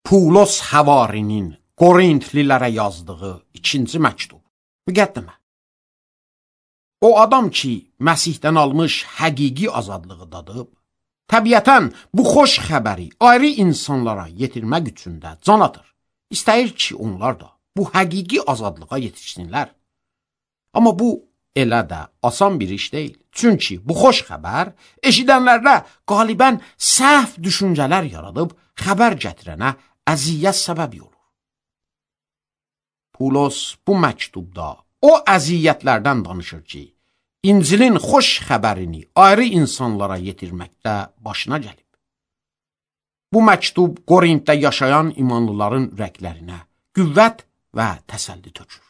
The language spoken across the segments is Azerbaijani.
Pulos Həvarinin Qorintlilərə yazdığı 2-ci məktub. Müqəddimə. O adam ki, Məsihdən almış həqiqi azadlığı dadıb, təbiətən bu xoş xəbəri ayrı insanlara yetirmək üçün də can atır. İstəyir ki, onlar da bu həqiqi azadlığa yetişsinlər. Amma bu elə də asan bir iş deyil. Çünki bu xoş xəbər eşidənlərdə qalibən səhv düşüncələr yaradıb xəbər gətirənə əziyyət səbəbi olur. Pulos bu məktubda o əziyyətlərdən danışır ki, İncilin xoş xəbərini ayrı insanlara yetirməkdə başına gəlib. Bu məktub Qorintdə yaşayan imanlıların ürəklərinə qüvvət və təsəlli tökür.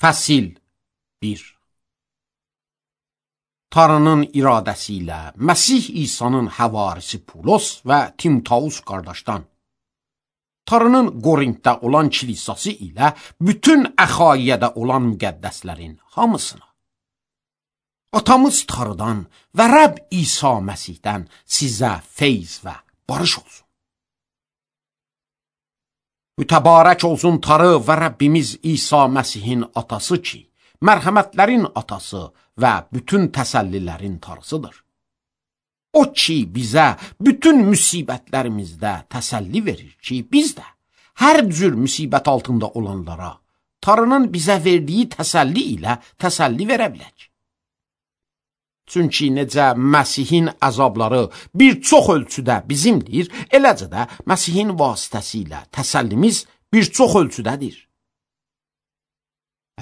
Fəsil 1. Tanrının iradəsi ilə Məsih İsa'nın həvarisi Pulos və Timtaus qardaşdan, Tanrının Qorintdə olan kilisası ilə bütün Əxaiyədə olan müqəddəslərin hamısına, atamız Tanrıdan və Rəbb İsa Məsihdən sizə feyz və barış olsun. Mütəbarək olsun Tanrı və Rəbbimiz İsa Məsihin atası ki, mərhəmətlərin atası və bütün təsəllilərin Tanrısıdır. O ki, bizə bütün müsibətlərimizdə təsəlli verir ki, biz də hər cür müsibət altında olanlara Tanrının bizə verdiyi təsəlli ilə təsəlli verə bilək. Çünki necə Məsihin əzabları bir çox ölçüdə bizimdir, eləcə də Məsihin vasitəsilə təsəllimiz bir çox ölçüdədir.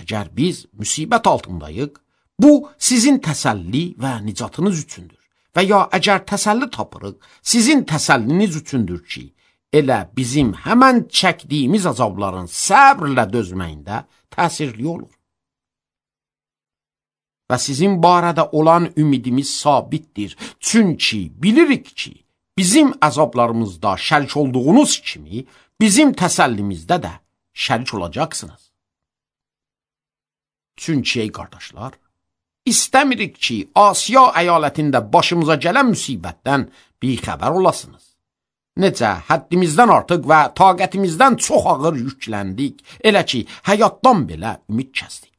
Əgər biz müsibət altındayıq, bu sizin təsəlli və nicatınız üçündür. Və ya əgər təsəlli tapırıq, sizin təsəlliniz üçündür ki, elə bizim həmən çəkdiyimiz əzabların səbrlə dözməyində təsirli olur. Və sizin barədə olan ümidimiz sabitdir. Çünki bilirik ki, bizim əzablarımızda şərik olduğunuz kimi, bizim təsəllimizdə də şərik olacaqsınız. Çünki ey qardaşlar, İstəmirik ki, Asiya əyalətində başımıza gələn müsibətdən bixəbər olasınız. Necə həddimizdən artıq və taqətimizdən çox ağır yükləndik, elə ki, həyatdan belə ümid kəsdik.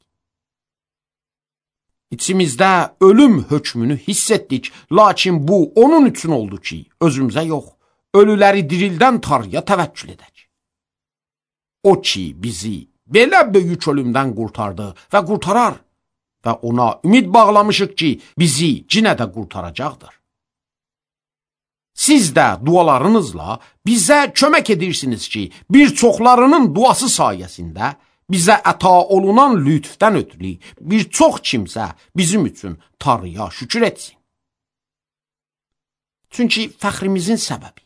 İçimizdə ölüm hökmünü hiss etdik, lakin bu onun üçün oldu ki, özümüzə yox, ölüləri dirildən Tanrıya təvəkkül edək. O ki, bizi belə böyük ölümdən qurtardı və qurtarar və ona ümid bağlamışıq ki, bizi yenə də qurtaracaqdır. Siz də dualarınızla bizə kömək edirsiniz ki, bir çoxlarının duası sayəsində bizə əta olunan lütfdən ötürü bir çox kimsə bizim üçün Tanrıya şükür etsin. Çünki fəxrimizin səbəbi,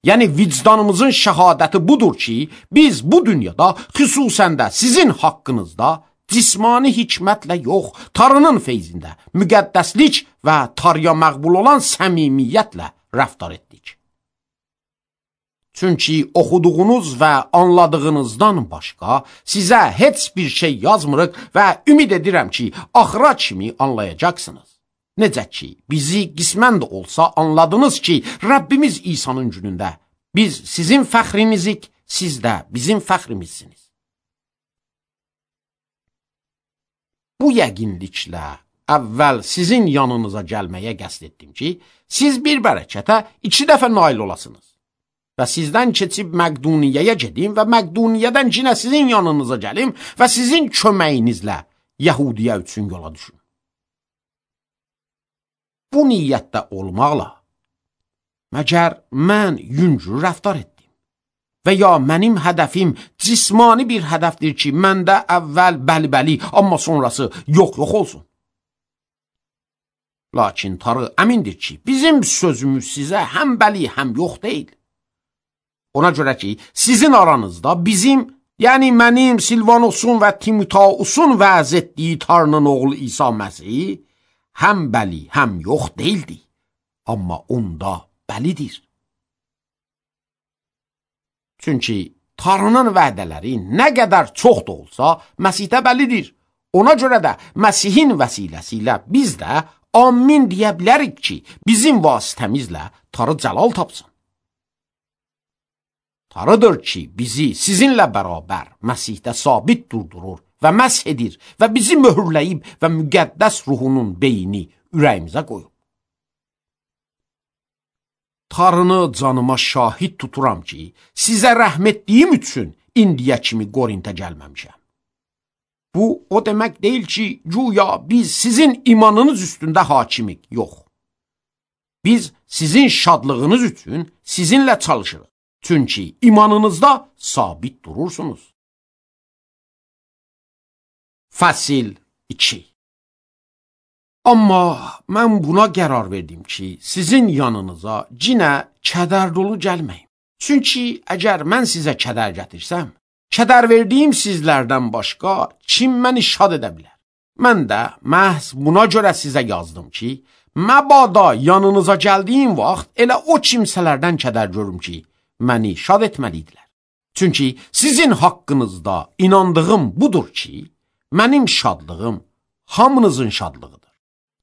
yəni vicdanımızın şəhadəti budur ki, biz bu dünyada, xüsusən də sizin haqqınızda cismani hikmətlə yox, Tanrının feyzində, müqəddəslik və Tanrıya məqbul olan səmimiyyətlə rəftar etdik. Çünki oxuduğunuz və anladığınızdan başqa sizə heç bir şey yazmırıq və ümid edirəm ki, axıra kimi anlayacaqsınız. Necə ki, bizi qismən də olsa anladınız ki, Rəbbimiz İsa'nın günündə biz sizin fəxrinizik, siz də bizim fəxrimizsiniz. Bu yəqinliklə əvvəl sizin yanınıza gəlməyə qəsd etdim ki, siz bir bərəkətə 2 dəfə nail olasınız. Və sizdən keçib Məqduniyyəyə gedim və Məqduniyyədən yenə sizin yanınıza gəlim və sizin köməyinizlə Yəhudiyə üçün yola düşün. Bu niyyətdə olmaqla, məgər mən yüngül rəftar etdim və ya mənim hədəfim cismani bir hədəfdir ki, məndə əvvəl bəli, amma sonrası yox olsun. Lakin Tanrı əmindir ki, bizim sözümüz sizə həm bəli, həm yox deyil. Ona görə ki, sizin aranızda bizim, yəni mənim Silvanosun və Timotausun vəz etdiyi Tanrının oğlu İsa Məsih, həm bəli, həm yox deyildi, amma onda bəlidir. Çünki Tanrının vədələri nə qədər çox da olsa, Məsihdə bəlidir. Ona görə də Məsihin vəsiləsi biz də amin deyə bilərik ki, bizim vasitəmizlə Tanrı cəlal tapsın. Tanrıdır ki, bizi sizinlə bərabər Məsihdə sabit durdurur və məsh edir və bizi möhürləyib və müqəddəs ruhunun beyni ürəyimizə qoyub. Tanrını canıma şahid tuturam ki, sizə rəhm etdiyim üçün indiyə kimi Qorintə gəlməmişəm. Bu, o demək deyil ki, güya biz sizin imanınız üstündə hakimik, yox. Biz sizin şadlığınız üçün sizinlə çalışırıq. Çünki imanınızda sabit durursunuz. Fəsil 2. Amma mən buna qərar verdim ki, sizin yanınıza cinə kədər dolu gəlməyim. Çünki əgər mən sizə kədər gətirsəm, kədər verdiyim sizlərdən başqa kim məni şad edə bilər? Mən də məhz buna görə sizə yazdım ki, məbada yanınıza gəldiyim vaxt elə o kimsələrdən kədər görüm ki, məni şad etməliydilər. Çünki sizin haqqınızda inandığım budur ki, mənim şadlığım hamınızın şadlığıdır.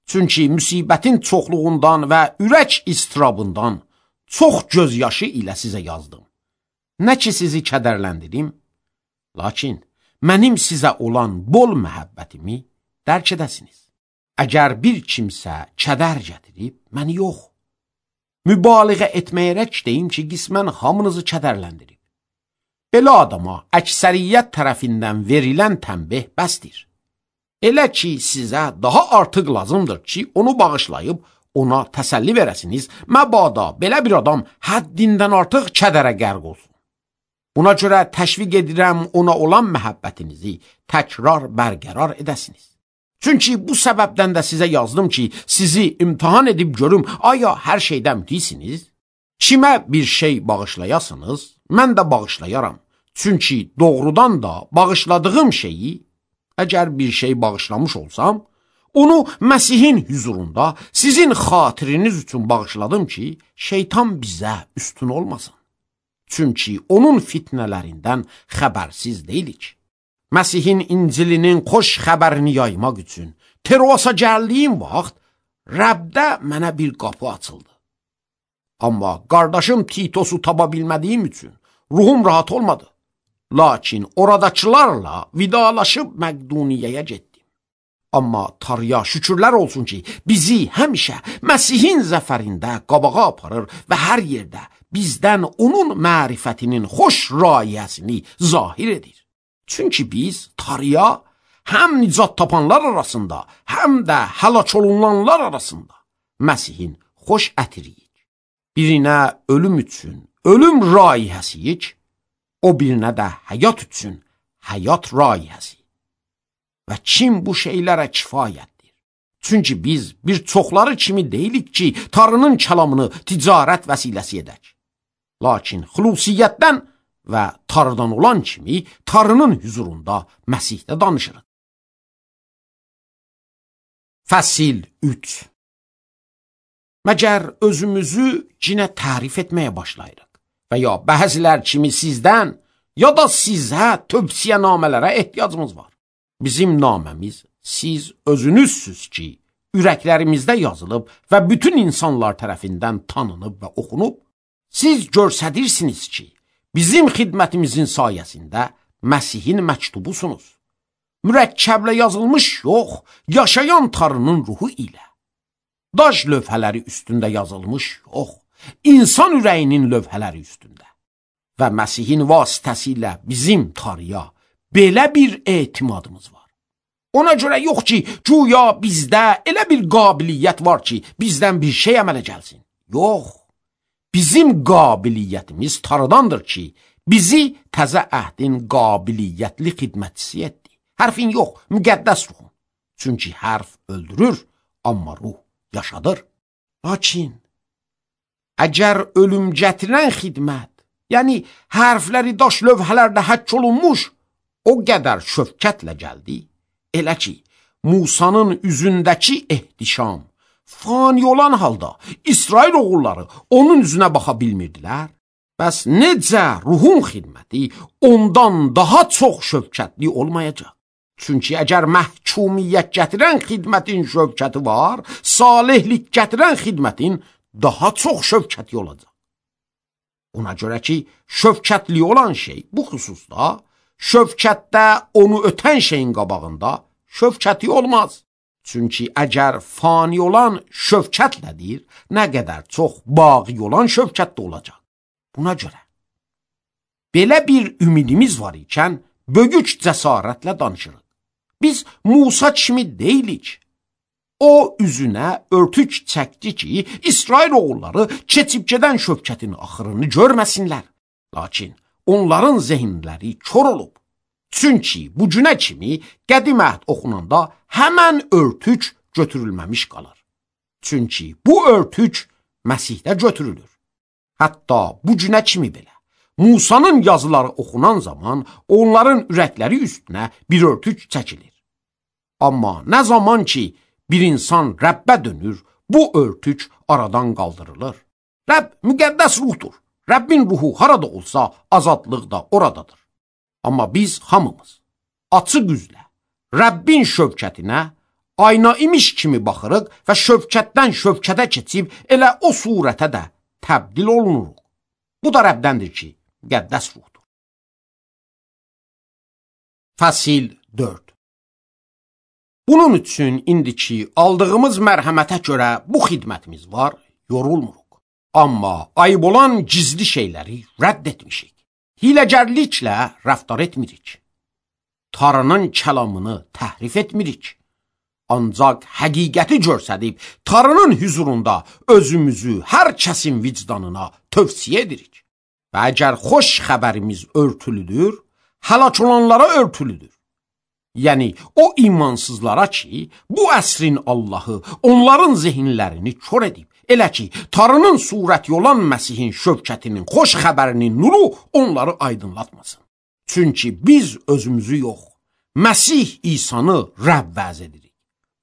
Çünki müsibətin çoxluğundan və ürək istirabından çox gözyaşı ilə sizə yazdım. Nə ki sizi kədərləndirim, lakin mənim sizə olan bol məhəbbətimi dərk edəsiniz. Əgər bir kimsə kədər gətirib, məni yox, mübaliğə etməyərək deyim ki, qismən hamınızı kədərləndirib. Belə adama əksəriyyət tərəfindən verilən tənbih bəsdir. Elə ki, sizə daha artıq lazımdır ki, onu bağışlayıb, ona təsəlli verəsiniz, məbada belə bir adam həddindən artıq kədərə qərq olsun. Buna görə təşviq edirəm ona olan məhəbbətinizi təkrar bərqərar edəsiniz. Çünki bu səbəbdən də sizə yazdım ki, sizi imtihan edib görüm, aya hər şeydən mütisiniz? Kimə bir şey bağışlayasınız, mən də bağışlayaram. Çünki doğrudan da bağışladığım şeyi, əgər bir şey bağışlamış olsam, onu Məsihin hüzurunda sizin xatiriniz üçün bağışladım ki, şeytan bizə üstün olmasın. Çünki onun fitnələrindən xəbərsiz deyilik. Məsihin İncilinin xoş xəbərini yaymaq üçün Troasa gəldiyim vaxt Rəbdə mənə bir qapı açıldı. Amma qardaşım Titosu tapa bilmədiyim üçün ruhum rahat olmadı. Lakin oradakılarla vidalaşıb Məqduniyəyə getdim. Amma Tanrıya şükürlər olsun ki, bizi həmişə Məsihin zəfərində qabağa aparır və hər yerdə bizdən onun mərifətinin xoş rayəsini zahir edir. Çünki biz Tanrıya həm nicat tapanlar arasında, həm də həlak olunanlar arasında Məsihin xoş ətiriyik. Birinə ölüm üçün ölüm rayihəsiyik, o birinə də həyat üçün həyat rayihəsi. Və kim bu şeylərə kifayətdir? Çünki biz bir çoxları kimi deyilik ki, Tanrının kəlamını ticarət vəsiləsi edək. Lakin xüsusiyyətdən və Tanrıdan olan kimi Tanrının hüzurunda Məsihdə danışırıq. Fəsil 3. Məgər özümüzü cinə tərif etməyə başlayırıq və ya bəzilər kimi sizdən ya da sizə tövsiyənamələrə ehtiyacımız var. Bizim naməmiz siz özünüzsüz ki, ürəklərimizdə yazılıb və bütün insanlar tərəfindən tanınıb və oxunub. Siz görsədirsiniz ki, bizim xidmətimizin sayəsində Məsihin məktubusunuz. Mürəkkəblə yazılmış yox, yaşayan Tanrının ruhu ilə. Daş lövhələri üstündə yazılmış yox, insan ürəyinin lövhələri üstündə. Və Məsihin vasitəsilə bizim Tanrıya belə bir etimadımız var. Ona görə yox ki, güya bizdə elə bir qabiliyyət var ki, bizdən bir şey əmələ gəlsin. Yox, bizim qabiliyyətimiz Tanrıdandır ki, bizi təzə əhdin qabiliyyətli xidmətçisi etdi. Hərfin yox, müqəddəs ruhun. Çünki hərf öldürür, amma ruh yaşadır. Lakin, əgər ölüm gətirən xidmət, yəni hərfləri daş lövhələrdə həkk olunmuş, o qədər şöfkətlə gəldi, elə ki, Musanın üzündəki ehtişam, fani olan halda İsrail oğulları onun üzünə baxa bilmirdilər. Bəs necə ruhun xidməti ondan daha çox şöfkətli olmayacaq? Çünki əgər məhkumiyyət gətirən xidmətin şövkəti var, salihlik gətirən xidmətin daha çox şövkəti olacaq. Ona görə ki, şövkətli olan şey bu xüsusda, şövkətdə onu ötən şeyin qabağında şövkəti olmaz. Çünki əgər fani olan şövkətlədir, nə qədər çox baqi olan şövkətdə olacaq. Buna görə belə bir ümidimiz var ikən, bögüc cəsarətlə danışırıq. Biz Musa kimi deyilik. O üzünə örtük çəkdi ki, İsrail oğulları keçib gedən şövkətin axırını görməsinlər. Lakin onların zehinləri kör olub. Çünki bu günə kimi qədim əhd oxunanda həmən örtük götürülməmiş qalır. Çünki bu örtük Məsihdə götürülür. Hətta bu günə kimi belə. Musanın yazıları oxunan zaman onların ürəkləri üstünə bir örtük çəkilir. Amma nə zaman ki bir insan Rəbbə dönür, bu örtük aradan qaldırılır. Rəbb müqəddəs ruhdur. Rəbbin ruhu harada olsa azadlıq da oradadır. Amma biz hamımız açıq üzlə Rəbbin şövkətinə ayna imiş kimi baxırıq və şövkətdən şövkətə keçib elə o surətə də təbdil olunuruq. Bu da Rəbdəndir ki, müqəddəs ruhdur. Fəsil 4. Bunun üçün indiki aldığımız mərhəmətə görə bu xidmətimiz var, yorulmuruq. Amma ayıb olan gizli şeyləri rədd etmişik. Hiləgərliklə rəftar etmirik. Tanrının kəlamını təhrif etmirik. Ancaq həqiqəti görsədib, Tanrının hüzurunda özümüzü hər kəsin vicdanına tövsiyə edirik. Və əgər xoş xəbərimiz örtülüdür, həlak olanlara örtülüdür. Yəni, o imansızlara ki, bu əsrin Allahı onların zehinlərini kör edib, elə ki, Tanrının surəti olan Məsihin şövkətinin, xoş xəbərinin nuru onları aydınlatmasın. Çünki biz özümüzü yox, Məsih İsanı Rəbb vəz edirik.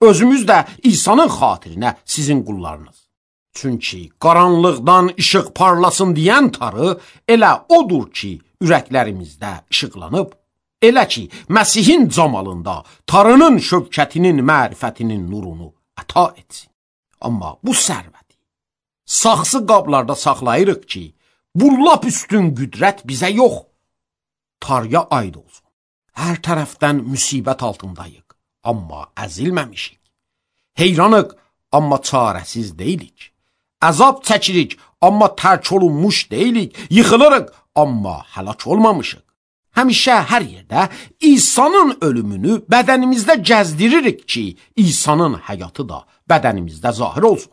Özümüz də İsa'nın xatirinə sizin qullarınız. Çünki qaranlıqdan işıq parlasın deyən Tanrı elə odur ki, ürəklərimizdə işıqlanıb, elə ki, Məsihin camalında Tanrının şövkətinin, mərifətinin nurunu əta etsin. Amma bu sərvəti saxsı qablarda saxlayırıq ki, bu lap üstün qüdrət bizə yox, Tanrıya aid olsun. Hər tərəfdən müsibət altındayıq, amma əzilməmişik. Heyranıq, amma çarəsiz deyilik. Əzab çəkirik, amma tərk olunmuş deyilik. Yıxılırıq, amma həlak olmamışıq. Həmişə hər yerdə İsa'nın ölümünü bədənimizdə gəzdiririk ki, İsa'nın həyatı da bədənimizdə zahir olsun.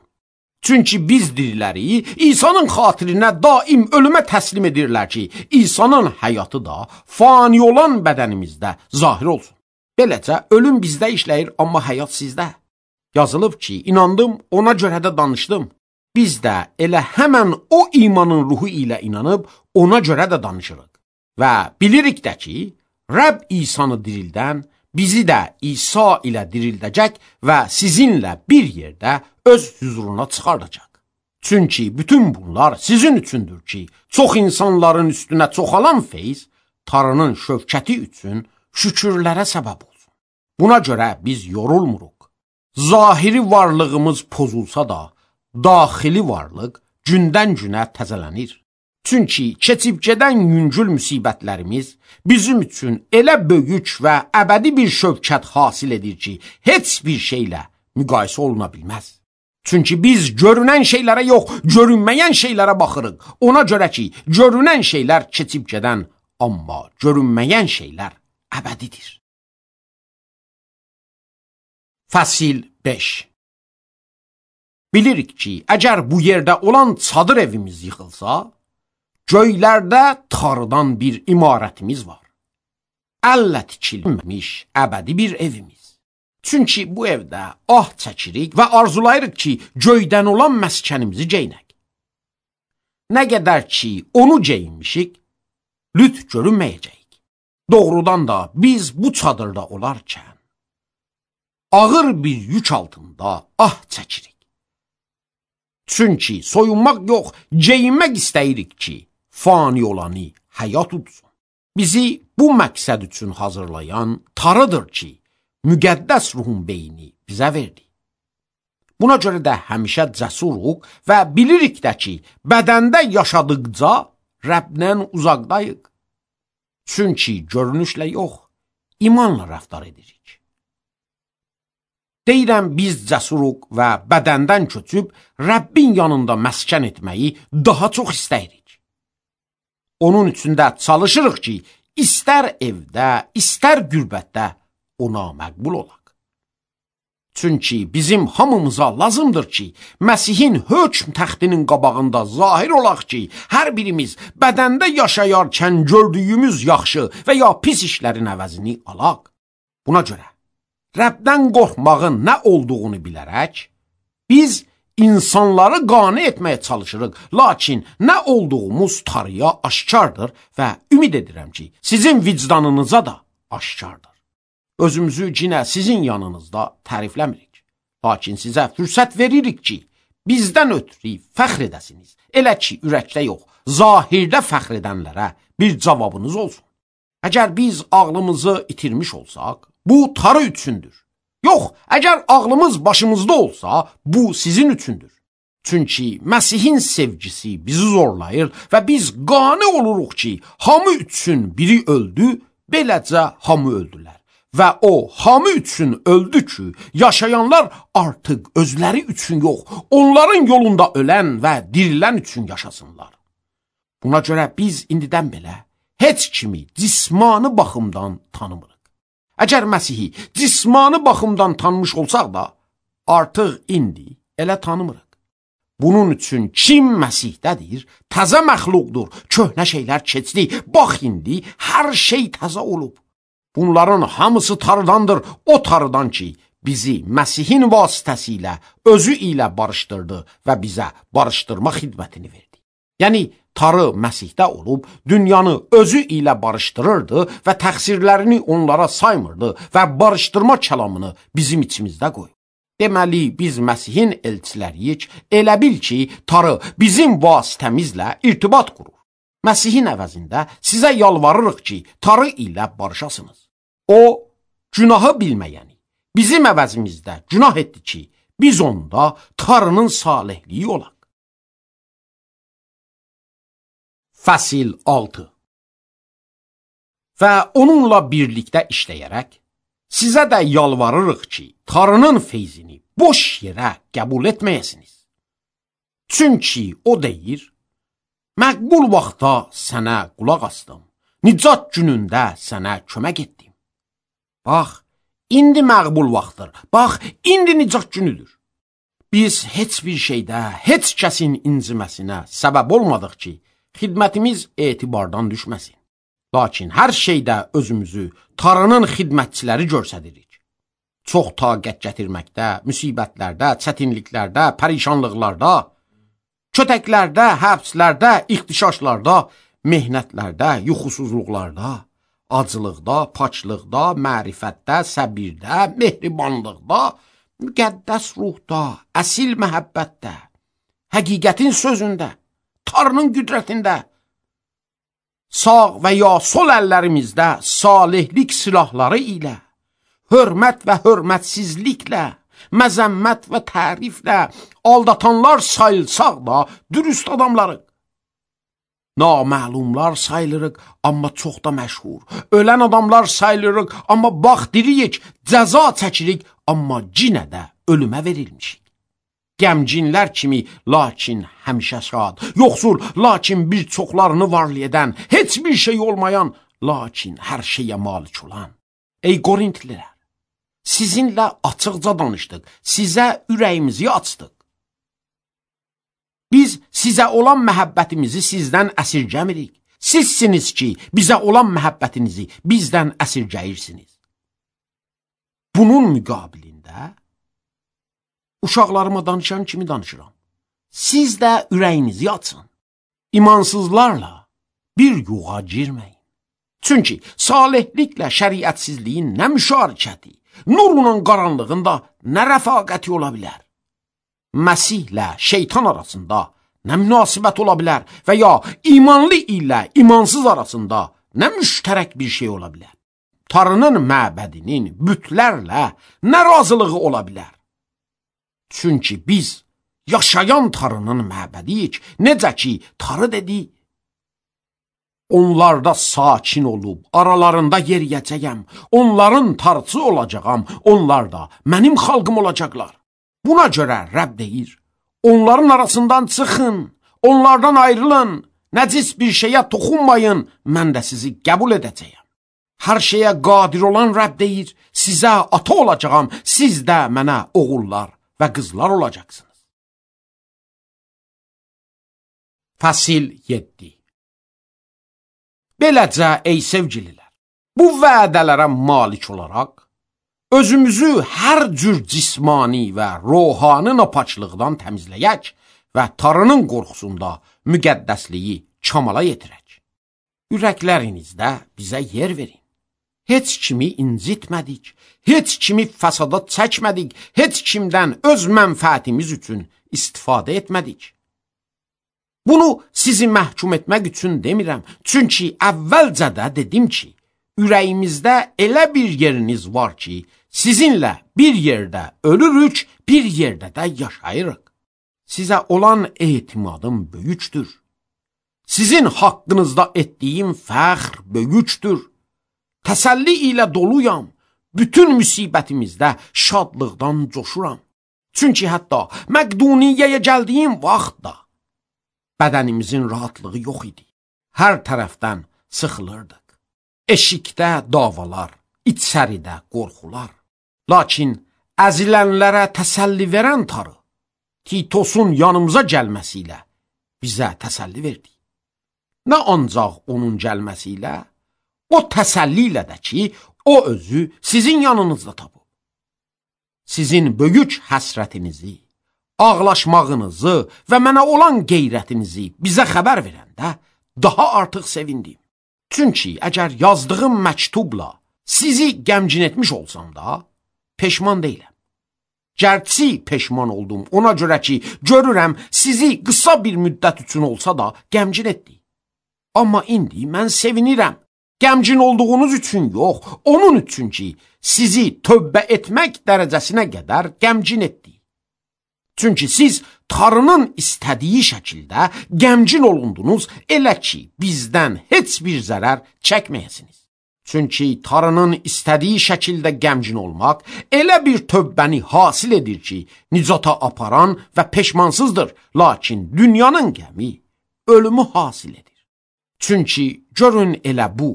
Çünki biz diriləri İsa'nın xatirinə daim ölümə təslim edirlər ki, İsa'nın həyatı da fani olan bədənimizdə zahir olsun. Beləcə, ölüm bizdə işləyir, amma həyat sizdə. Yazılıb ki, inandım, ona görə də danışdım. Biz də elə həmən o imanın ruhu ilə inanıb, ona görə də danışırıq. Və bilirik də ki, Rəbb İsa'nı dirildən, bizi də İsa ilə dirildəcək və sizinlə bir yerdə öz hüzuruna çıxardacaq. Çünki bütün bunlar sizin üçündür ki, çox insanların üstünə çoxalan feyz, Tanrının şövkəti üçün şükürlərə səbəb olsun. Buna görə biz yorulmuruq. Zahiri varlığımız pozulsa da, daxili varlıq gündən-günə təzələnir. Çünki keçib gedən yüngül müsibətlərimiz bizim üçün elə böyük və əbədi bir şövkət hasil edir ki, heç bir şeylə müqayisə oluna bilməz. Çünki biz görünən şeylərə yox, görünməyən şeylərə baxırıq. Ona görə ki, görünən şeylər keçib gedən, amma görünməyən şeylər əbədidir. Fəsil 5. Bilirik ki, əgər bu yerdə olan çadır evimiz yıxılsa, göylərdə Tanrıdan bir imarətimiz var. Əllə tikilmiş əbədi bir evimiz. Çünki bu evdə ah çəkirik və arzulayırıq ki, göydən olan məskənimizi geyinək. Nə qədər ki, onu geyinmişik, lüt görünməyəcəyik. Doğrudan da biz bu çadırda olarkən, ağır bir yük altında ah çəkirik. Çünki soyunmaq yox, geyinmək istəyirik ki, fani olanı həyat udsun. Bizi bu məqsəd üçün hazırlayan Tanrıdır ki, müqəddəs ruhun beyni bizə verdi. Buna görə də həmişə cəsuruq və bilirik də ki, bədəndə yaşadıqca Rəbdən uzaqdayıq. Çünki görünüşlə yox, imanla rəftar edirik. Deyirəm, biz cəsuruq və bədəndən köçüb Rəbbin yanında məskən etməyi daha çox istəyirik. Onun üçün də çalışırıq ki, istər evdə, istər qürbətdə ona məqbul olaq. Çünki bizim hamımıza lazımdır ki, Məsihin hökm təxtinin qabağında zahir olaq ki, hər birimiz bədəndə yaşayarkən gördüyümüz yaxşı və ya pis işlərin əvəzini alaq. Buna görə, Rəbdən qorxmağın nə olduğunu bilərək, biz insanları qane etməyə çalışırıq, lakin nə olduğumuz Tanrıya aşkardır və ümid edirəm ki, sizin vicdanınıza da aşkardır. Özümüzü yenə sizin yanınızda tərifləmirik, lakin sizə fürsət veririk ki, bizdən ötürü fəxr edəsiniz. Elə ki, ürəkdə yox, zahirdə fəxr edənlərə bir cavabınız olsun. Əgər biz ağlımızı itirmiş olsaq, bu Tanrı üçündür. Yox, əgər ağlımız başımızda olsa, bu sizin üçündür. Çünki Məsihin sevgisi bizi zorlayır və biz qane oluruq ki, hamı üçün biri öldü, beləcə hamı öldülər. Və o hamı üçün öldü ki, yaşayanlar artıq özləri üçün yox, onların yolunda ölən və dirilən üçün yaşasınlar. Buna görə biz indidən belə heç kimi cismani baxımdan tanımırıq. Əgər Məsihi cismani baxımdan tanımış olsaq da, artıq indi elə tanımırıq. Bunun üçün kim Məsihdədir, təzə məxluqdur, köhnə şeylər keçdi, bax indi hər şey təzə olub. Bunların hamısı Tanrıdandır, o Tanrıdan ki, bizi Məsihin vasitəsilə özü ilə barışdırdı və bizə barışdırma xidmətini verdi. Yəni, Tanrı Məsihdə olub, dünyanı özü ilə barışdırırdı və təqsirlərini onlara saymırdı və barışdırma kəlamını bizim içimizdə qoyub. Deməli, biz Məsihin elçiləriyik, elə bil ki, Tanrı bizim vasitəmizlə irtibat qurur. Məsihin əvəzində sizə yalvarırıq ki, Tanrı ilə barışasınız. O, günahı bilməyəni, bizim əvəzimizdə günah etdi ki, biz onda Tanrının salihliyi olaq. Fəsil 6. Və onunla birlikdə işləyərək, sizə də yalvarırıq ki, Tanrının feyzini boş yerə qəbul etməyəsiniz. Çünki o deyir, məqbul vaxtda sənə qulaq asdım, nicat günündə sənə kömək etdim. Bax, indi məqbul vaxtdır, bax, indi nicat günüdür. Biz heç bir şeydə, heç kəsin inciməsinə səbəb olmadıq ki, xidmətimiz etibardan düşməsin. Lakin hər şeydə özümüzü Tanrının xidmətçiləri görsədirik. Çox taqət gətirməkdə, müsibətlərdə, çətinliklərdə, pərişanlıqlarda, kötəklərdə, həbslərdə, ixtişaşlarda, mehnətlərdə, yuxusuzluqlarda, acılıqda, paçlıqda, mərifətdə, səbirdə, mehribanlıqda, müqəddəs ruhda, əsil məhəbbətdə, həqiqətin sözündə, Tanrının qüdrətində, sağ və ya sol əllərimizdə salihlik silahları ilə, hörmət və hörmətsizliklə, məzəmmət və təriflə, aldatanlar sayılsaq da dürüst adamlarıq. Naməlumlar sayılırıq, amma çox da məşhur. Ölən adamlar sayılırıq, amma bax diriyik, cəza çəkirik, amma cinə də ölümə verilmişik. Gəmcinlər kimi, lakin həmişə şad, yoxsul, lakin bir çoxlarını varlayan, heç bir şey olmayan, lakin hər şeyə malik olan. Ey Qorintlilər, sizinlə açıqca danışdıq, sizə ürəyimizi açdıq. Biz sizə olan məhəbbətimizi sizdən əsirgəmirik. Sizsiniz ki, bizə olan məhəbbətinizi bizdən əsirgəyirsiniz. Bunun müqabilində, uşaqlarıma danışan kimi danışıram. Siz də ürəyinizi açın. İmansızlarla bir yuğa girməyin. Çünki salihliklə şəriətsizliyin nə müşarikəti, nurla qaranlığında nə rəfaqəti ola bilər? Məsihlə şeytan arasında nə münasibət ola bilər və ya imanlı ilə imansız arasında nə müştərək bir şey ola bilər? Tarının məbədinin bütlərlə nə razılığı ola bilər? Çünki biz yaşayan tarının məbədiyik, necə ki, tarı dedi. Onlarda sakin olub, aralarında yeriyəcəyəm, onların tarçı olacağam, onlar da mənim xalqım olacaqlar. Buna görə Rəbb deyir, onların arasından çıxın, onlardan ayrılın, nəcis bir şeyə toxunmayın, mən də sizi qəbul edəcəyəm. Hər şeyə qadir olan Rəbb deyir, sizə ata olacağam, siz də mənə oğullar və qızlar olacaqsınız. Fəsil 7. Beləcə, ey sevgililər, bu vədələrə malik olaraq, özümüzü hər cür cismani və ruhani napaçlıqdan təmizləyək və tarının qorxusunda müqəddəsliyi kamala yetirək. Ürəklərinizdə bizə yer verin. Heç kimi incitmədik, heç kimi fəsada çəkmədik, heç kimdən öz mənfəətimiz üçün istifadə etmədik. Bunu sizi məhkum etmək üçün demirəm, çünki əvvəlcə də dedim ki, ürəyimizdə elə bir yeriniz var ki, sizinlə bir yerdə ölürük, bir yerdə də yaşayırıq. Sizə olan etimadım böyükdür. Sizin haqqınızda etdiyim fəxr böyükdür. Təsəlli ilə doluyam, bütün müsibətimizdə şadlıqdan coşuram. Çünki hətta Məqduniyyəyə gəldiyim vaxtda bədənimizin rahatlığı yox idi. Hər tərəfdən sıxılırdıq. Eşikdə davalar, içəridə qorxular. Lakin əzilənlərə təsəlli verən tarı, Titosun yanımıza gəlməsi ilə bizə təsəlli verdi. Nə ancaq onun gəlməsi ilə, o təsəlli ilə də ki, o özü sizin yanınızda tapıb. Sizin böyük həsrətinizi, ağlaşmağınızı və mənə olan qeyrətinizi bizə xəbər verəndə daha artıq sevindim. Çünki əgər yazdığım məktubla sizi qəmgin etmiş olsam da, peşman deyiləm. Gərçi peşman oldum, ona görə ki, görürəm sizi qısa bir müddət üçün olsa da qəmgin etdi. Amma indi mən sevinirəm. Qəmgin olduğunuz üçün yox, onun üçün ki, sizi tövbə etmək dərəcəsinə qədər qəmgin etdi. Çünki siz tarının istədiyi şəkildə qəmgin olundunuz, elə ki, bizdən heç bir zərər çəkməyəsiniz. Çünki tarının istədiyi şəkildə qəmgin olmaq elə bir tövbəni hasil edir ki, nicata aparan və peşmansızdır, lakin dünyanın qəmi ölümü hasil edir. Çünki görün elə bu,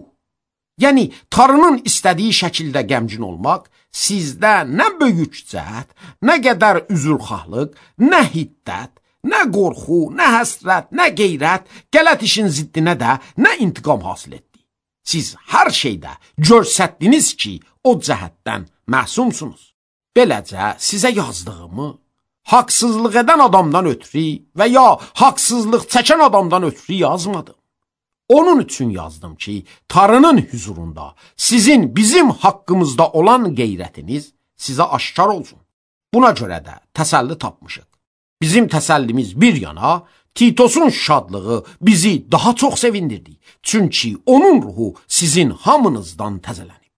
yəni tarının istədiyi şəkildə qəmgin olmaq, sizdə nə böyük cəhət, nə qədər üzrxahlıq, nə hiddət, nə qorxu, nə həsrət, nə qeyrət, qələt işin ziddinə də nə intiqam hasil etdi. Siz hər şeydə görsətdiniz ki, o cəhətdən məsumsunuz. Beləcə sizə yazdığımı haqsızlıq edən adamdan ötürü və ya haqsızlıq çəkən adamdan ötürü yazmadım. Onun üçün yazdım ki, tarının huzurunda sizin bizim haqqımızda olan qeyrətiniz sizə aşkar olsun. Buna görə də təsəlli tapmışıq. Bizim təsəllimiz bir yana, Titosun şadlığı bizi daha çox sevindirdi. Çünki onun ruhu sizin hamınızdan təzələnib.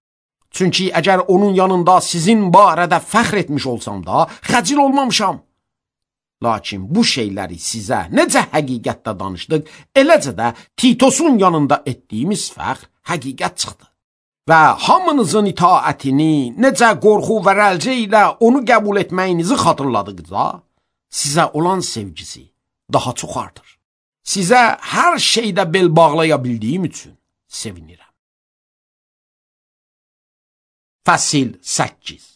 Çünki əgər onun yanında sizin barədə fəxr etmiş olsam da, xəcil olmamışam. Lakin bu şeyləri sizə necə həqiqətdə danışdıq, eləcə də Titosun yanında etdiyimiz fəxr həqiqət çıxdı. Və hamınızın itaətini, necə qorxu və rəlcə ilə onu qəbul etməyinizi xatırladıqca, sizə olan sevgisi daha çox artır. Sizə hər şeydə bel bağlaya bildiyim üçün sevinirəm. Fəsil 8.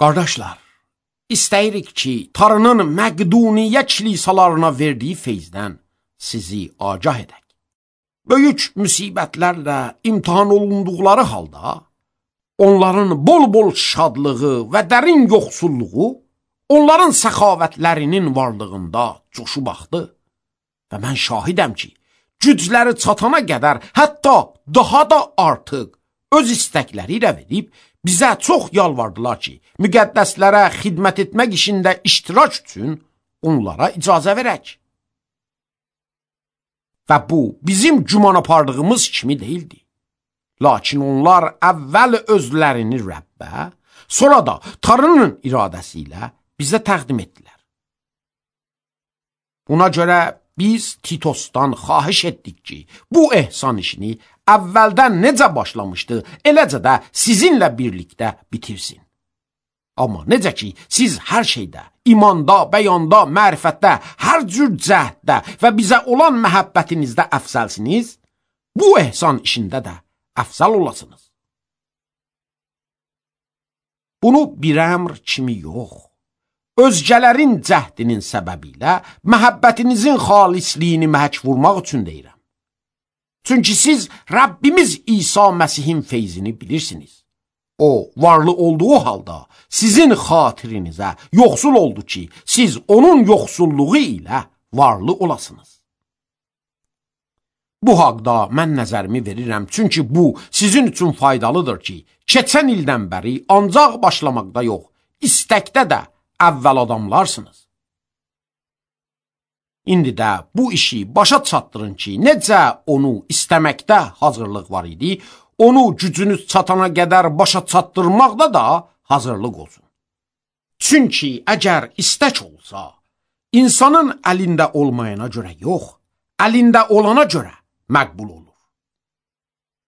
Qardaşlar, İstəyirik ki, tarının Məqduniyyə kilisalarına verdiyi feyzdən sizi agah edək. Böyük müsibətlərlə imtihan olunduqları halda, onların bol-bol şadlığı və dərin yoxsulluğu, onların səxavətlərinin varlığında coşub axdı. Və mən şahidəm ki, gücləri çatana qədər, hətta daha da artıq öz istəkləri ilə verib, bizə çox yalvardılar ki, müqəddəslərə xidmət etmək işində iştirak üçün onlara icazə verək. və bu bizim güman apardığımız kimi deyildi. Lakin onlar əvvəl özlərini Rəbbə, sonra da Tanrının iradəsi ilə bizə təqdim etdilər. Buna görə biz Titosdan xahiş etdik ki, bu ehsan işini əvvəldən necə başlamışdı, eləcə də sizinlə birlikdə bitirsin. Amma necə ki, siz hər şeydə, imanda, bəyanda, mərifətdə, hər cür cəhddə və bizə olan məhəbbətinizdə əfsəlsiniz, bu ehsan işində də əfsəl olasınız. Bunu bir əmr kimi yox, özgələrin cəhdinin səbəbi ilə məhəbbətinizin xalisliyini məhək vurmaq üçün deyirəm. Çünki siz Rəbbimiz İsa Məsihin feyzini bilirsiniz. O, varlı olduğu halda sizin xatirinizə yoxsul oldu ki, siz onun yoxsulluğu ilə varlı olasınız. Bu haqda mən nəzərimi verirəm, çünki bu sizin üçün faydalıdır ki, keçən ildən bəri ancaq başlamaqda yox, istəkdə də əvvəl adamlarsınız. İndi də bu işi başa çatdırın ki, necə onu istəməkdə hazırlıq var idi, onu gücünüz çatana qədər başa çatdırmaqda da hazırlıq olsun. Çünki əgər istək olsa, insanın əlində olmayana görə yox, əlində olana görə məqbul olur.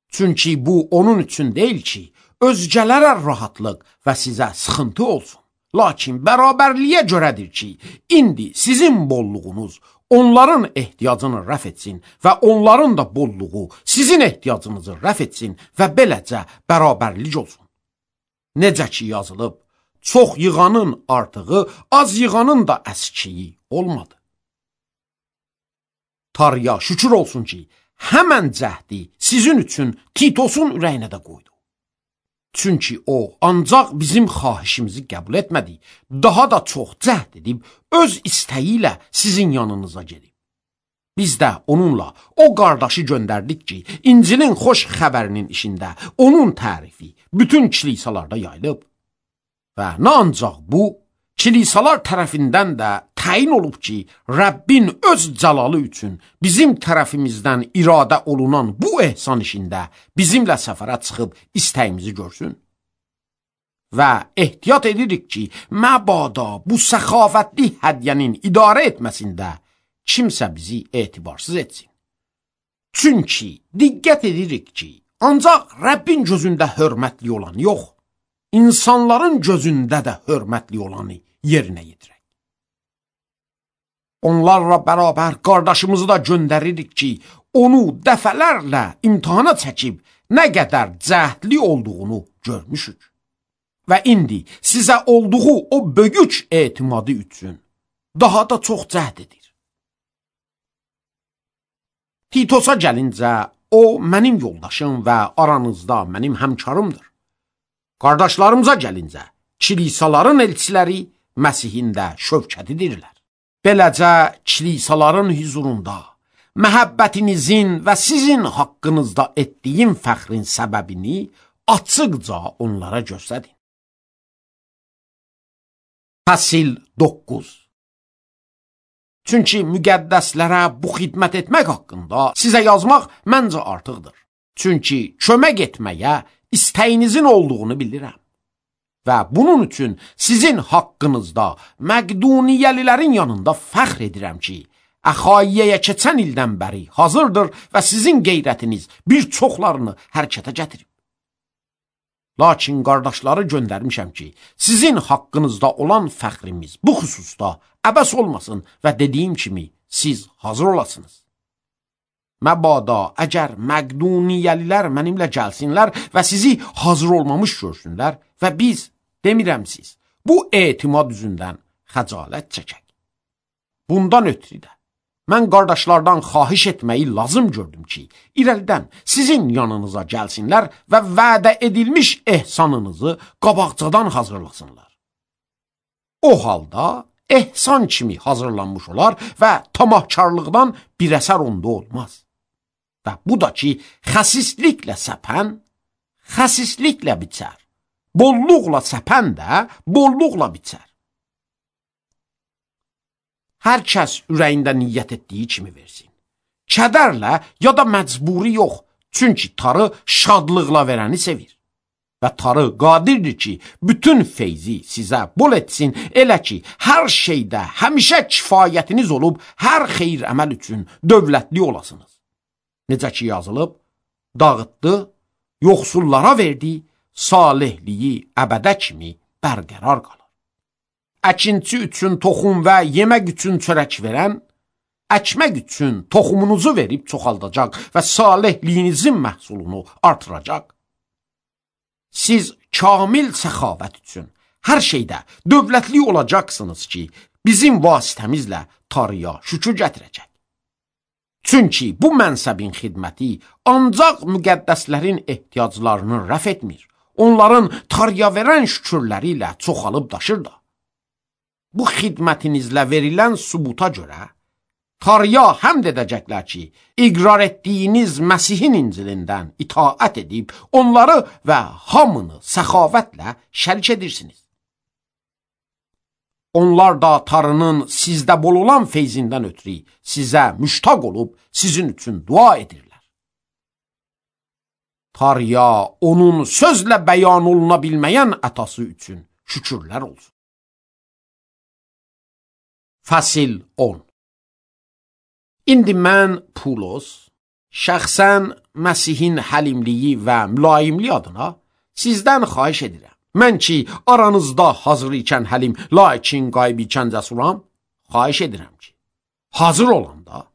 Çünki bu onun üçün deyil ki, özgələrə rahatlıq və sizə sıxıntı olsun. Lakin bərabərliyə görədir ki, indi sizin bolluğunuz onların ehtiyacını rəf etsin və onların da bolluğu sizin ehtiyacınızı rəf etsin və beləcə bərabərlik olsun. Necə ki yazılıb, çox yığanın artığı, az yığanın da əskiyi olmadı. Tanrıya şükür olsun ki, həmən cəhdi sizin üçün Titosun ürəyinə də qoydu. Çünki o ancaq bizim xahişimizi qəbul etmədi, daha da çox cəhd edib, öz istəyi ilə sizin yanınıza gedib. Biz də onunla o qardaşı göndərdik ki, İncilin xoş xəbərinin işində onun tərifi bütün kilisalarda yayılıb. Və nə ancaq bu, kilisalar tərəfindən də təyin olub ki, Rəbbin öz cəlalı üçün bizim tərəfimizdən iradə olunan bu ehsan işində bizimlə səfərə çıxıb istəyimizi görsün. Və ehtiyat edirik ki, məbada bu səxavətli hədiyyənin idarə etməsində kimsə bizi etibarsız etsin. Çünki diqqət edirik ki, ancaq Rəbbin gözündə hörmətli olan yox, insanların gözündə də hörmətli olanı yerinə yetirək. Onlarla bərabər qardaşımızı da göndəririk ki, onu dəfələrlə imtihana çəkib nə qədər cəhdli olduğunu görmüşük. Və indi sizə olduğu o böyük etimadı üçün daha da çox cəhd edir. Titosa gəlincə, o mənim yoldaşım və aranızda mənim həmkarımdır. Qardaşlarımıza gəlincə, kilisaların elçiləri Məsihin də şövkətidirlər. Beləcə, kilisaların huzurunda məhəbbətinizin və sizin haqqınızda etdiyim fəxrin səbəbini açıqca onlara göstərin. Fəsil 9. Çünki müqəddəslərə bu xidmət etmək haqqında sizə yazmaq məncə artıqdır. Çünki kömək etməyə istəyinizin olduğunu bilirəm. Və bunun üçün sizin haqqınızda Məqduniyəlilərin yanında fəxr edirəm ki, Əxaiyəyə keçən ildən bəri hazırdır və sizin qeyrətiniz bir çoxlarını hərəkətə gətirib. Lakin qardaşları göndərmişəm ki, sizin haqqınızda olan fəxrimiz bu xüsusda əbəs olmasın və dediyim kimi siz hazır olasınız. Məbada əgər Məqduniyəlilər mənimlə gəlsinlər və sizi hazır olmamış görsünlər və biz, demirəm siz, bu etimad üzündən xəcalət çəkək. Bundan ötürü də mən qardaşlardan xahiş etməyi lazım gördüm ki, irəlidən sizin yanınıza gəlsinlər və vədə edilmiş ehsanınızı qabaqcadan hazırlasınlar. O halda ehsan kimi hazırlanmış olar və tamahkarlıqdan bir əsər onda olmaz. Və bu da ki, xəsisliklə səpən, xəsisliklə biçər. Bolluqla səpən də bolluqla biçər. Hər kəs ürəyində niyyət etdiyi kimi versin. kədərlə ya da məcburi yox. Çünki tarı şadlıqla verəni sevir. Və tarı qadirdir ki, bütün feyzi sizə bol etsin, elə ki, hər şeydə həmişə kifayətiniz olub, hər xeyir əməl üçün dövlətli olasınız. Necə ki yazılıb, dağıtdı, yoxsullara verdi, salihliyi əbədə kimi bərqərar qalır. Əkinçi üçün toxum və yemək üçün çörək verən, əkmək üçün toxumunuzu verib çoxaldacaq və salihliyinizin məhsulunu artıracaq. Siz kamil səxavət üçün hər şeydə dövlətli olacaqsınız ki, bizim vasitəmizlə tarıya şükür gətirəcək. Çünki bu mənsəbin xidməti ancaq müqəddəslərin ehtiyaclarını rəf etmir, onların tarıya verən şükürləri ilə çoxalıb daşır da. Bu xidmətinizlə verilən sübuta görə tarıya həmd edəcəklər ki, iqrar etdiyiniz Məsihin İncilindən itaət edib, onları və hamını səxavətlə şərik edirsiniz. Onlar da tarının sizdə bol olan feyzindən ötürü sizə müştaq olub, sizin üçün dua edirlər. Tarıya onun sözlə bəyan oluna bilməyən ətası üçün şükürlər olsun. Fəsil 10. İndi mən Pulos, şəxsən Məsihin həlimliyi və mülayimliyi adına sizdən xahiş edirəm. Mən ki, aranızda hazır ikən həlim, lakin qayb ikən cəsuram, xahiş edirəm ki, hazır olanda,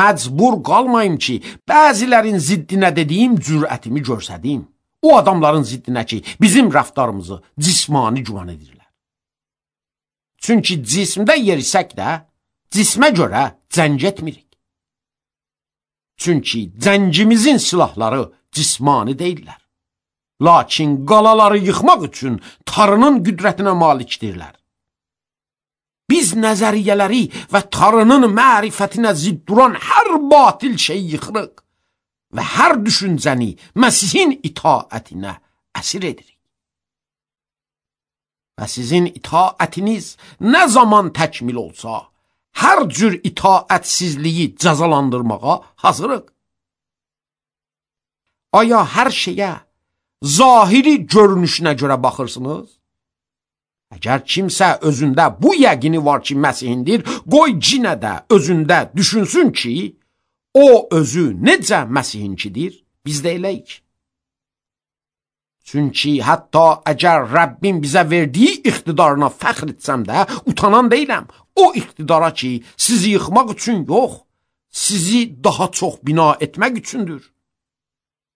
məcbur qalmayım ki, bəzilərin ziddinə dediyim cürətimi görsədim. O adamların ziddinə ki, bizim rəftarımızı cismani güman edirlər. Çünki cismdə yerisək də, cismə görə cəng etmirik. Çünki cəngimizin silahları cismani deyirlər. Lakin qalaları yıxmaq üçün tarının qüdrətinə malikdirlər. Biz nəzəriyyələri və tarının mərifətinə zidd duran hər batil şeyi yıxırıq və hər düşüncəni Məsihin itaətinə əsir edirik. Və sizin itaətiniz nə zaman təkmil olsa, hər cür itaətsizliyi cəzalandırmağa hazırıq. Aya hər şeyə zahiri görünüşünə görə baxırsınız? Əgər kimsə özündə bu yəqini var ki, Məsihindir, qoy cinə də özündə düşünsün ki, o özü necə Məsihinkidir, biz də eləyik. Çünki hətta əgər Rəbbim bizə verdiyi iqtidarına fəxr etsəm də, utanan deyiləm. O iqtidara ki, sizi yıxmaq üçün yox, sizi daha çox bina etmək üçündür.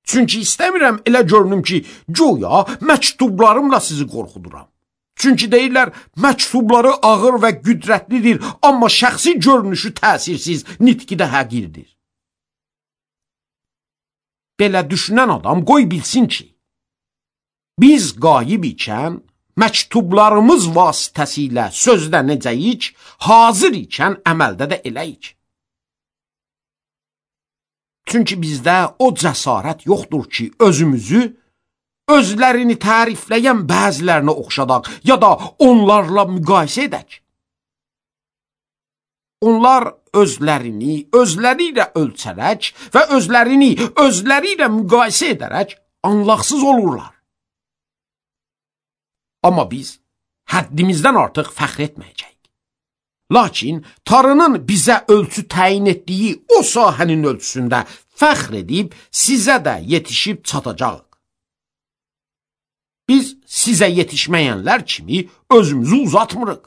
Çünki istəmirəm elə görünüm ki, güya məktublarımla sizi qorxuduram. Çünki deyirlər, məktubları ağır və qüdrətlidir, amma şəxsi görünüşü təsirsiz, nitqi də həqirdir. Belə düşünən adam qoy bilsin ki, biz qayib ikən, məktublarımız vasitəsilə sözdə necəyik, hazır ikən əməldə də eləyik. Çünki bizdə o cəsarət yoxdur ki, özümüzü, özlərini tərifləyən bəzilərinə oxşadaq, ya da onlarla müqayisə edək. Onlar özlərini özləri ilə ölçərək və özlərini özləri ilə müqayisə edərək anlaqsız olurlar. Amma biz həddimizdən artıq fəxr etməyəcəyik. Lakin tarının bizə ölçü təyin etdiyi o sahənin ölçüsündə fəxr edib sizə də yetişib çatacağıq. Biz sizə yetişməyənlər kimi özümüzü uzatmırıq.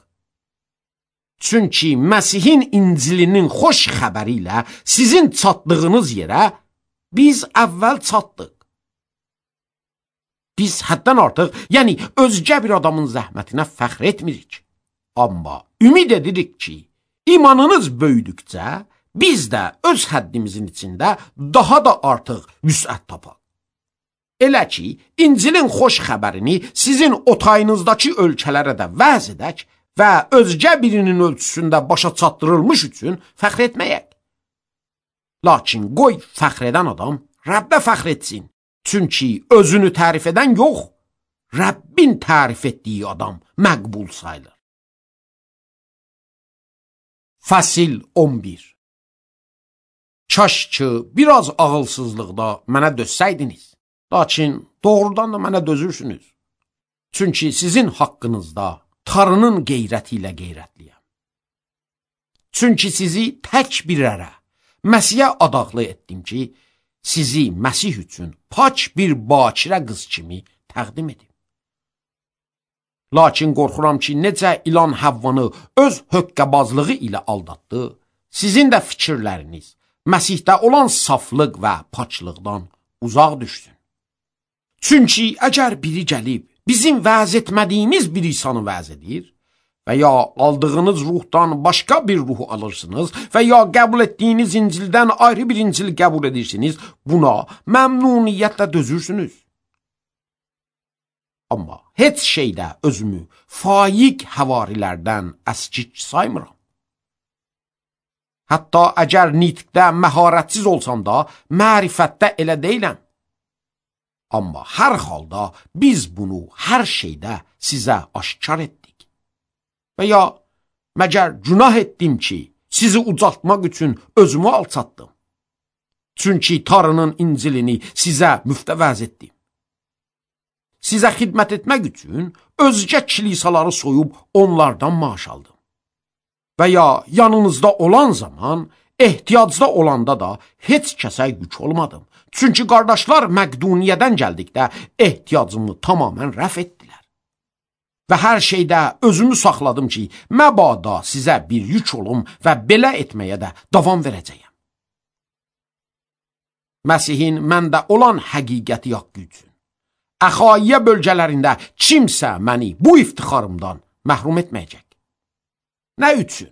Çünki Məsihin İncilinin xoş xəbəri ilə sizin çatdığınız yerə biz əvvəl çatdıq. Biz həddən artıq, yəni özgə bir adamın zəhmətinə fəxr etmirik. Amma ümid edirik ki, imanınız böyüdükcə, biz də öz həddimizin içində daha da artıq vüsət tapaq. Elə ki, İncilin xoş xəbərini sizin otayınızdakı ölkələrə də vəz edək və özgə birinin ölçüsündə başa çatdırılmış üçün fəxr etməyək. Lakin qoy fəxr edən adam Rəbbə fəxr etsin. Çünki özünü tərif edən yox, Rəbbin tərif etdiyi adam məqbul sayılır. Fəsil 11. Kaş ki, biraz ağılsızlıqda mənə dözsəydiniz. Lakin doğrudan da mənə dözürsünüz. Çünki sizin haqqınızda Tanrının qeyrəti ilə qeyrətliyəm. Çünki sizi tək bir ərə, Məsihə adaqlı etdim ki, sizi Məsih üçün paç bir bakirə qız kimi təqdim edim. Lakin qorxuram ki, necə ilan Həvvanı öz höqqəbazlığı ilə aldatdı, sizin də fikirləriniz Məsihdə olan saflıq və paçlıqdan uzaq düşsün. Çünki əgər biri gəlib bizim vəz etmədiyimiz bir insanı vəz edir və ya aldığınız ruhdan başqa bir ruhu alırsınız və ya qəbul etdiyiniz İncildən ayrı bir İncil qəbul edirsiniz, buna məmnuniyyətlə dözürsünüz. Amma heç şeydə özümü faiq həvarilərdən əskik saymıram. Hətta əgər nitqdə məharətsiz olsam da, mərifətdə elə deyiləm. Amma hər halda biz bunu hər şeydə sizə aşkar etdik. Və ya məgər günah etdim ki, sizi ucaltmaq üçün özümü alçatdım. Çünki Tanrının İncilini sizə müftəvəz etdim. Sizə xidmət etmək üçün özgə kilisaları soyub onlardan maaş aldım. Və ya yanınızda olan zaman, ehtiyacda olanda da heç kəsə yük olmadım. Çünki qardaşlar Məqduniyyədən gəldikdə ehtiyacımı tamamən rəf etdilər. Və hər şeydə özümü saxladım ki, məbada sizə bir yük olum və belə etməyə də davam verəcəyəm. Məsihin məndə olan həqiqəti haqqı üçün Əxaiyə bölgələrində kimsə məni bu iftixarımdan məhrum etməyəcək. Nə üçün?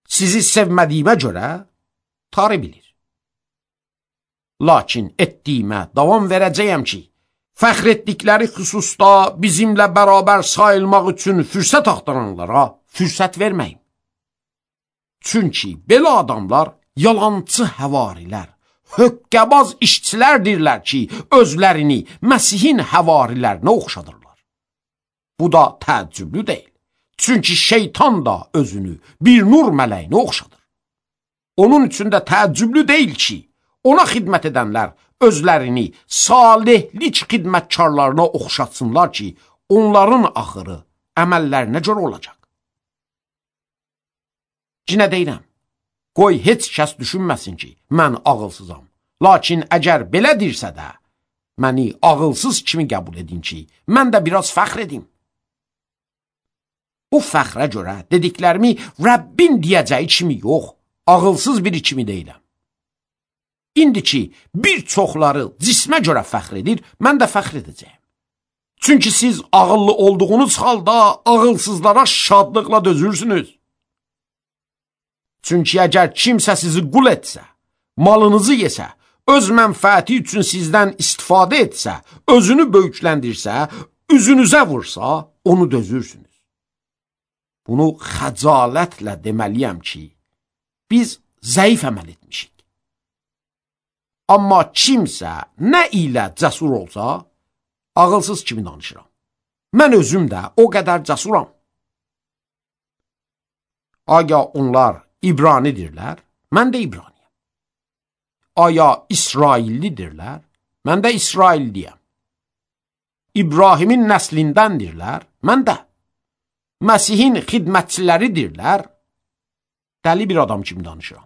Sizi sevmədiyimə görə Tanrı bilir. Lakin etdiyimə davam verəcəyəm ki, fəxr etdikləri xüsusda bizimlə bərabər sayılmaq üçün fürsət axtaranlara fürsət verməyim. Çünki belə adamlar yalancı həvarilər, höqqəbaz işçilərdirlər ki, özlərini Məsihin həvarilərinə oxşadırlar. Bu da təəccüblü deyil. Çünki şeytan da özünü bir nur mələyinə oxşadır. Onun üçün də təəccüblü deyil ki, ona xidmət edənlər özlərini salihlik xidmətkarlarına oxşatsınlar ki, onların axırı əməllərinə görə olacaq. Cinə deyirəm, qoy heç kəs düşünməsin ki, mən ağılsızam. Lakin əgər belə dirsə də, məni ağılsız kimi qəbul edin ki, mən də biraz fəxr edim. Bu fəxrə görə dediklərimi Rəbbin deyəcəyi kimi yox, ağılsız biri kimi deyiləm. İndi ki, bir çoxları cismə görə fəxr edir, mən də fəxr edəcəyim. Çünki siz ağıllı olduğunuz halda ağılsızlara şadlıqla dözürsünüz. Çünki əgər kimsə sizi qul etsə, malınızı yesə, öz mənfəəti üçün sizdən istifadə etsə, özünü böyükləndirsə, üzünüzə vursa, onu dözürsünüz. Bunu xəcalətlə deməliyəm ki, biz zəif əməl etmişik. Amma kimsə nə ilə cəsur olsa, ağılsız kimi danışıram. Mən özüm də o qədər cəsuram. Aya onlar İbranidirlər, mən də İbraniyəm. Aya İsraillidirlər, mən də İsrailliyəm. İbrahimin nəslindəndirlər, mən də. Məsihin xidmətçiləridirlər, dəli bir adam kimi danışıram.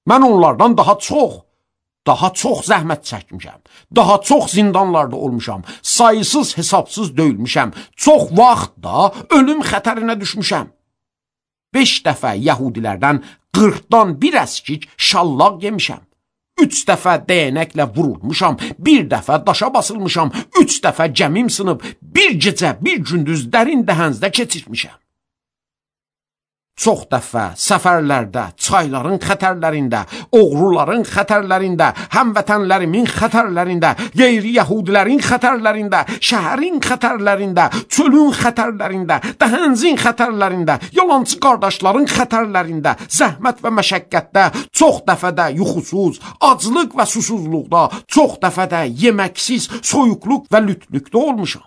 Mən onlardan daha çox zəhmət çəkmişəm, daha çox zindanlarda olmuşam, sayısız hesabsız döyülmüşəm, çox vaxt da ölüm xətərinə düşmüşəm. 5 dəfə yəhudilərdən 40-dan bir əskik şallaq yemişəm. 3 dəfə dəyənəklə vurulmuşam, 1 dəfə daşa basılmışam, 3 dəfə gəmim sınıb, bir gecə, bir gündüz dərin dəhəzdə keçirmişəm. Çox dəfə səfərlərdə, çayların xətərlərində, oğruların xətərlərində, həmvətənlərimin xətərlərində, qeyri-yəhudilərin xətərlərində, şəhərin xətərlərində, çölün xətərlərində, dəhənzin xətərlərində, yalancı qardaşların xətərlərində, zəhmət və məşəqqətdə, çox dəfə də yuxusuz, aclıq və susuzluqda, çox dəfə də yeməksiz, soyuqluq və lütlükdə olmuşam.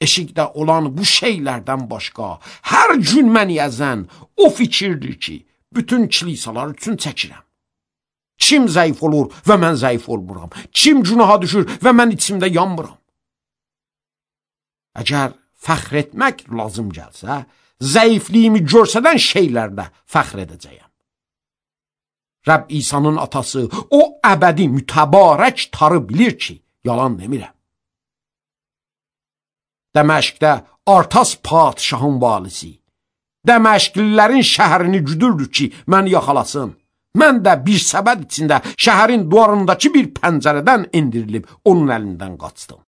Eşikdə olan bu şeylərdən başqa hər gün məni əzən o fikirdir ki, bütün kilisalar üçün çəkirəm. Kim zəif olur və mən zəif olmuram? Kim günaha düşür və mən içimdə yanmıram? Əgər fəxr etmək lazım gəlsə, zəifliyimi görsədən şeylərdə fəxr edəcəyəm. Rəbb İsa'nın atası, o əbədi mütəbarək tarı bilir ki, yalan demirəm. Dəməşqdə Artas padişahın valisi, Dəməşqlilərin şəhərini güdürdü ki, məni yaxalasın. Mən də bir səbəd içində şəhərin duvarındakı bir pəncərədən indirilib onun əlindən qaçdım.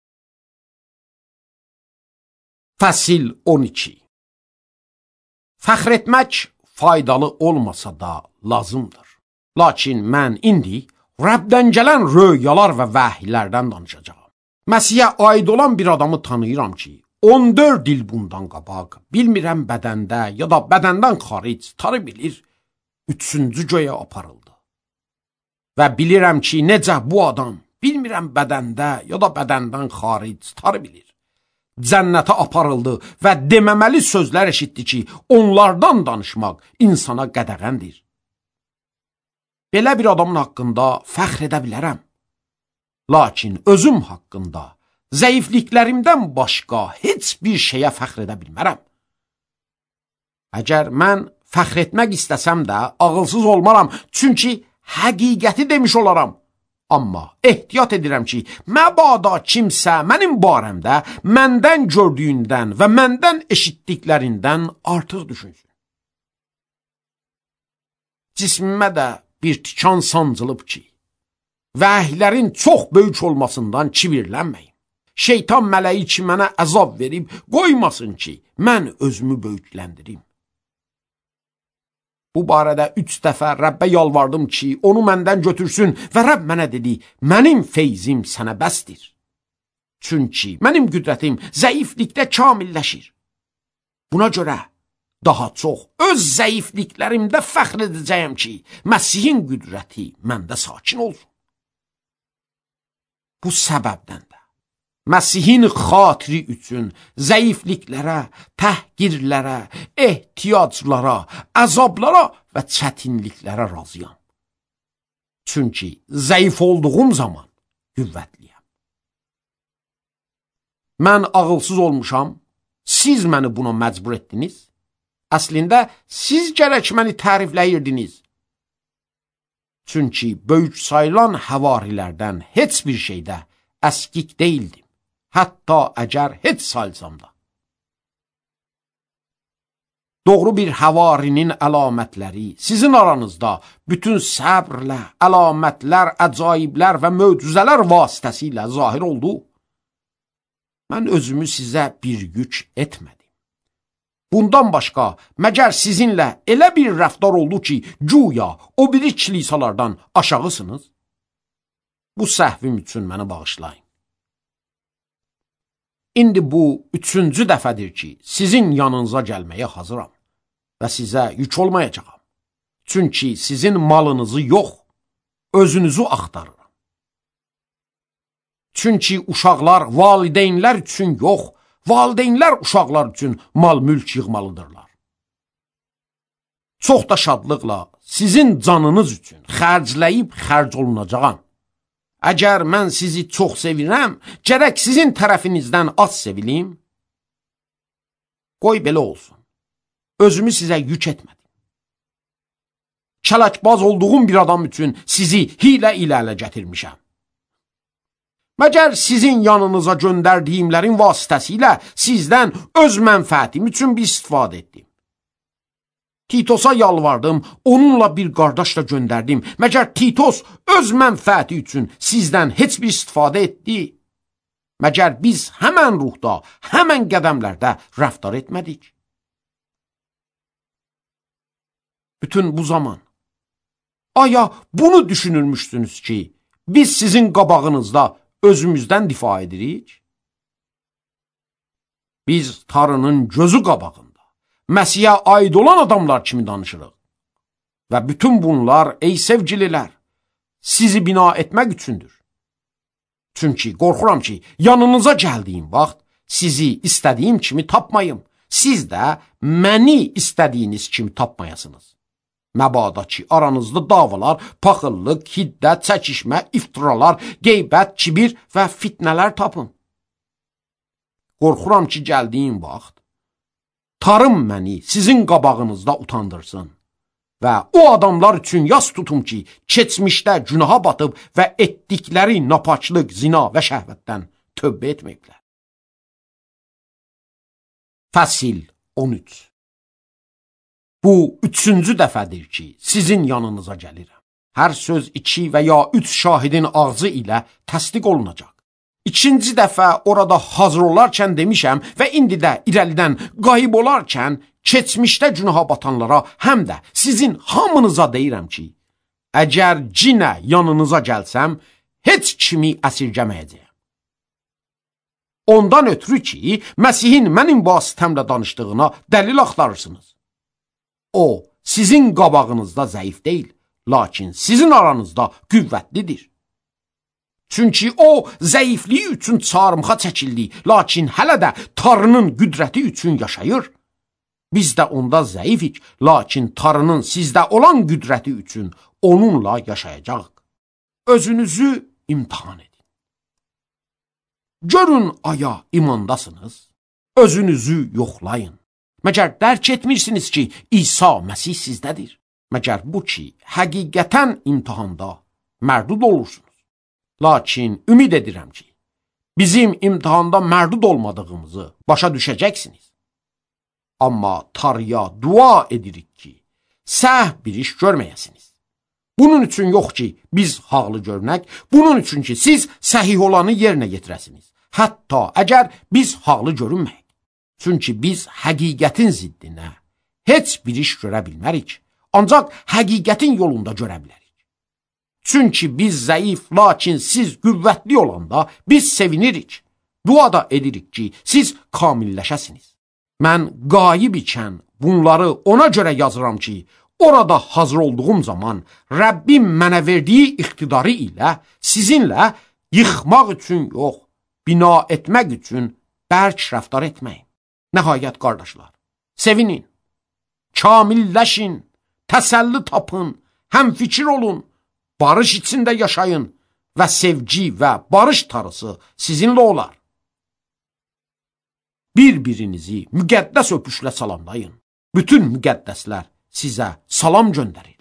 Fəsil 12. Fəxr etmək faydalı olmasa da lazımdır. Lakin mən indi Rəbdən gələn röyalar və vəhiylərdən danışacağam. Məsihə aid olan bir adamı tanıyıram ki, 14 il bundan qabaq, bilmirəm bədəndə ya da bədəndən xaric tarı bilir, 3-cü göyə aparıldı. Və bilirəm ki, necə bu adam, bilmirəm bədəndə ya da bədəndən xaric tarı bilir, cənnətə aparıldı və deməməli sözlər eşitdi ki, onlardan danışmaq insana qədəğəndir. Belə bir adamın haqqında fəxr edə bilərəm. Lakin özüm haqqında, zəifliklərimdən başqa heç bir şeyə fəxr edə bilmərəm. Əgər mən fəxr etmək istəsəm də ağılsız olmaram, çünki həqiqəti demiş olaram. Amma ehtiyat edirəm ki, məbada kimsə mənim barəmdə məndən gördüyündən və məndən eşitdiklərindən artıq düşünsün. Cismimə də bir tikan sancılıb ki, vəhiylərin çox böyük olmasından kibirlənməyin. Şeytan mələyi ki, mənə əzab verib, qoymasın ki, mən özümü böyükləndirim. Bu barədə 3 dəfə Rəbbə yalvardım ki, onu məndən götürsün və Rəbb mənə dedi, mənim feyzim sənə bəsdir. Çünki mənim qüdrətim zəiflikdə kamilləşir. Buna görə daha çox öz zəifliklərimdə fəxr edəcəyəm ki, Məsihin qüdrəti məndə sakin olsun. Bu səbəbdən də Məsihin xatiri üçün zəifliklərə, təhqirlərə, ehtiyaclara, əzablara və çətinliklərə razıyam. Çünki zəif olduğum zaman qüvvətliyəm. Mən ağılsız olmuşam, siz məni buna məcbur etdiniz. Əslində, siz gərək məni tərifləyirdiniz. Çünki böyük sayılan həvarilərdən heç bir şeydə əskik deyildim. Hətta əgər heç sayılsam da. Doğru bir həvarinin əlamətləri sizin aranızda bütün səbrlə, əlamətlər, əcaiblər və möcüzələr vasitəsilə zahir oldu. Mən özümü sizə bir yük etmədim. Bundan başqa, məgər sizinlə elə bir rəftar oldu ki, güya o biri kilisalardan aşağısınız? Bu səhvim üçün məni bağışlayın. İndi bu 3-cü dəfədir ki, sizin yanınıza gəlməyə hazıram və sizə yük olmayacağam. Çünki sizin malınızı yox, özünüzü axtarıram. Çünki uşaqlar valideynlər üçün yox, valideynlər uşaqlar üçün mal-mülk yığmalıdırlar. Çox da şadlıqla sizin canınız üçün xərcləyib xərc olunacağam. Əgər mən sizi çox sevirəm, gərək sizin tərəfinizdən az sevilim. Qoy belə olsun. Özümü sizə yük etmədim. Kələkbaz olduğum bir adam üçün sizi hilə ilə ələ gətirmişəm. Məgər sizin yanınıza göndərdiyimlərin vasitəsilə sizdən öz mənfəətim üçün bir istifadə etdim. Titosa yalvardım, onunla bir qardaşla göndərdim. Məgər Titos öz mənfəəti üçün sizdən heç bir istifadə etdi? Məgər biz həmən ruhda, həmən qədəmlərdə rəftar etmədik? Bütün bu zaman, aya bunu düşünürmüşsünüz ki, biz sizin qabağınızda özümüzdən difa edirik? Biz tarının gözü qabağında Məsihə aid olan adamlar kimi danışırıq. Və bütün bunlar, ey sevgililər, sizi bina etmək üçündür. Çünki qorxuram ki, yanınıza gəldiyim vaxt sizi istədiyim kimi tapmayım. Siz də məni istədiyiniz kimi tapmayasınız. Məbada ki, aranızda davalar, paxıllıq, hiddət, çəkişmə, iftiralar, qeybət, kibir və fitnələr tapın. Qorxuram ki, gəldiyim vaxt tarım məni sizin qabağınızda utandırsın və o adamlar üçün yas tutum ki, keçmişdə günaha batıb və etdikləri napaçlıq, zina və şəhvətdən tövbə etməklə. Fəsil 13. Bu 3-cü dəfədir ki, sizin yanınıza gəlirəm. Hər söz 2 və ya 3 şahidin ağzı ilə təsdiq olunacaq. 2-ci dəfə orada hazır olarkən demişəm və indi də irəlidən qayıb olarkən keçmişdə günaha batanlara həm də sizin hamınıza deyirəm ki, əgər cinə yanınıza gəlsəm, heç kimi əsirgəməyəcəyəm. Ondan ötürü ki, Məsihin mənim vasitəmlə danışdığına dəlil axtarırsınız. O, sizin qabağınızda zəif deyil, lakin sizin aranızda qüvvətlidir. Çünki o, zəifliyi üçün çarmıxa çəkildi, lakin hələ də Tanrının qüdrəti üçün yaşayır. Biz də onda zəifik, lakin Tanrının sizdə olan qüdrəti üçün onunla yaşayacaq. Özünüzü imtihan edin. Görün aya imandasınız, özünüzü yoxlayın. Məgər dərk etmirsiniz ki, İsa Məsih sizdədir. Məgər bu ki, həqiqətən imtihanda mərdud olursunuz. Lakin ümid edirəm ki, bizim imtihanda mərdud olmadığımızı başa düşəcəksiniz. Amma Tanrıya dua edirik ki, səhv bir iş görməyəsiniz. Bunun üçün yox ki, biz haqlı görünək, bunun üçün ki, siz səhih olanı yerinə yetirəsiniz. Hətta əgər biz haqlı görünməyik. Çünki biz həqiqətin ziddinə heç bir iş görə bilmərik, ancaq həqiqətin yolunda görə bilərik. Çünki biz zəif, lakin siz qüvvətli olanda biz sevinirik. Dua da edirik ki, siz kamilləşəsiniz. Mən qayib ikən bunları ona görə yazıram ki, orada hazır olduğum zaman Rəbbim mənə verdiyi iqtidarı ilə sizinlə yıxmaq üçün yox, bina etmək üçün bərk rəftar etməyin. Nəhayət qardaşlar, sevinin, kamilləşin, təsəlli tapın, həmfikir olun, barış içində yaşayın və sevgi və barış tarısı sizinlə olar. Bir-birinizi müqəddəs öpüşlə salamlayın. Bütün müqəddəslər sizə salam göndərir.